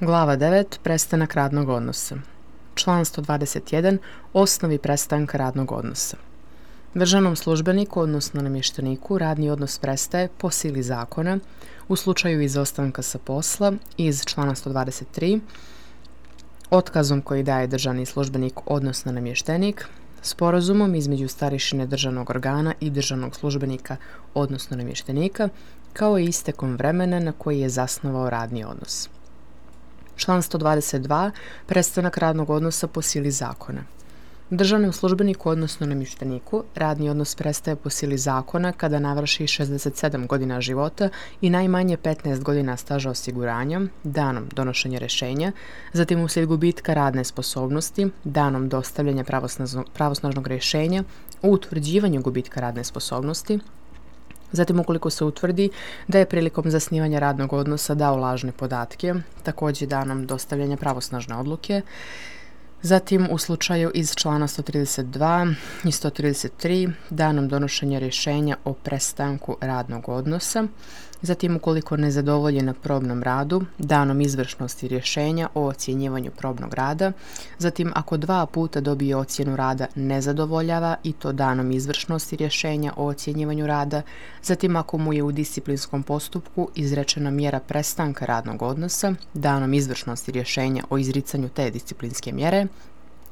Glava 9. Prestanak radnog odnosa. Član 121. Osnovi prestanka radnog odnosa. Državnom službeniku, odnosno namješteniku, radni odnos prestaje po sili zakona u slučaju izostanka sa posla iz člana 123, otkazom koji daje državni službenik, odnosno namještenik, sporazumom između starješine državnog organa i državnog službenika, odnosno namještenika, kao i istekom vremena na koji je zasnovao radni odnos. Član 122. Prestanak radnog odnosa po sili zakona. Državnom službeniku, odnosno namješteniku, radni odnos prestaje po sili zakona kada navrši 67 godina života i najmanje 15 godina staža osiguranja, danom donošenja rješenja, zatim uslijed gubitka radne sposobnosti, danom dostavljanja pravosnažnog rješenja o utvrđivanju gubitka radne sposobnosti, zatim ukoliko se utvrdi da je prilikom zasnivanja radnog odnosa dao lažne podatke, također danom dostavljanja pravosnažne odluke, zatim u slučaju iz člana 132 i 133 danom donošenja rješenja o prestanku radnog odnosa, zatim ukoliko ne zadovolji na probnom radu, danom izvršnosti rješenja o ocjenjivanju probnog rada, zatim ako 2 puta dobije ocjenu rada ne zadovoljava i to danom izvršnosti rješenja o ocjenjivanju rada, zatim ako mu je u disciplinskom postupku izrečena mjera prestanka radnog odnosa, danom izvršnosti rješenja o izricanju te disciplinske mjere,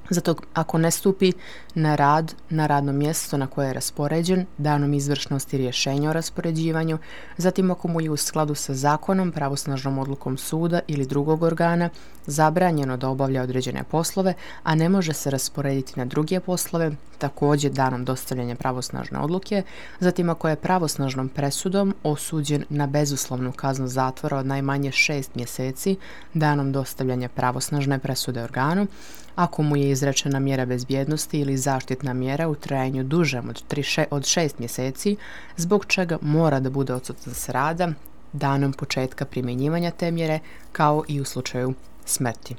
zato ako ne stupi na rad na radno mjesto na koje je raspoređen, danom izvršnosti rješenja o raspoređivanju, zatim ako mu je u skladu sa zakonom, pravosnažnom odlukom suda ili drugog organa zabranjeno da obavlja određene poslove, a ne može se rasporediti na druge poslove, također danom dostavljanja pravosnažne odluke, zatim ako je pravosnažnom presudom osuđen na bezuslovnu kaznu zatvora od najmanje 6 mjeseci, danom dostavljanja pravosnažne presude organu, ako mu je izrečena mjera bezbjednosti ili zaštitna mjera u trajanju dužem od 6 mjeseci, zbog čega mora da bude odsutan s rada danom početka primjenjivanja te mjere, kao i u slučaju smrti.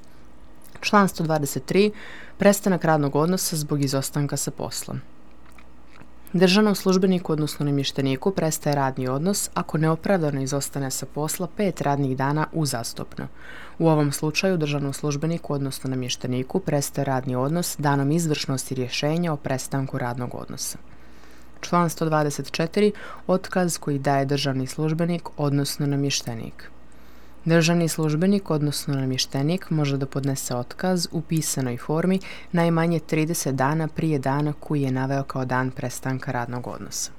Član 123. Prestanak radnog odnosa zbog izostanka sa poslom. Državnom službeniku, odnosno namješteniku, prestaje radni odnos ako neopravdano izostane sa posla 5 radnih dana uzastopno. U ovom slučaju državnom službeniku, odnosno namješteniku, prestaje radni odnos danom izvršnosti rješenja o prestanku radnog odnosa. Član 124. Otkaz koji daje državni službenik, odnosno namještenik. Državni službenik, odnosno namještenik, može da podnese otkaz u pisanoj formi najmanje 30 dana prije dana koji je naveo kao dan prestanka radnog odnosa.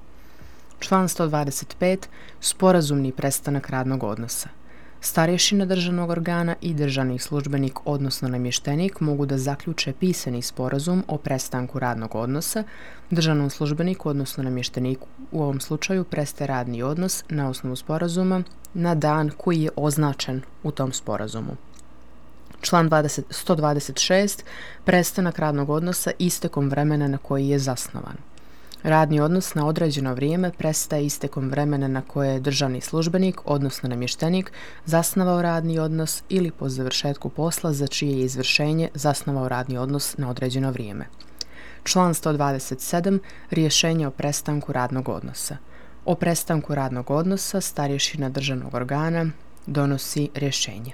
Član 125. Sporazumni prestanak radnog odnosa. Starješina državnog organa i državni službenik, odnosno namještenik, mogu da zaključe pisani sporazum o prestanku radnog odnosa. Državnom službeniku, odnosno namješteniku, u ovom slučaju prestaje radni odnos na osnovu sporazuma na dan koji je označen u tom sporazumu. Član 126. Prestanak radnog odnosa istekom vremena na koji je zasnovan. Radni odnos na određeno vrijeme prestaje istekom vremena na koje je državni službenik, odnosno namještenik, zasnovao radni odnos ili po završetku posla za čije je izvršenje zasnovao radni odnos na određeno vrijeme. Član 127. Rješenje o prestanku radnog odnosa. O prestanku radnog odnosa starješina državnog organa donosi rješenje.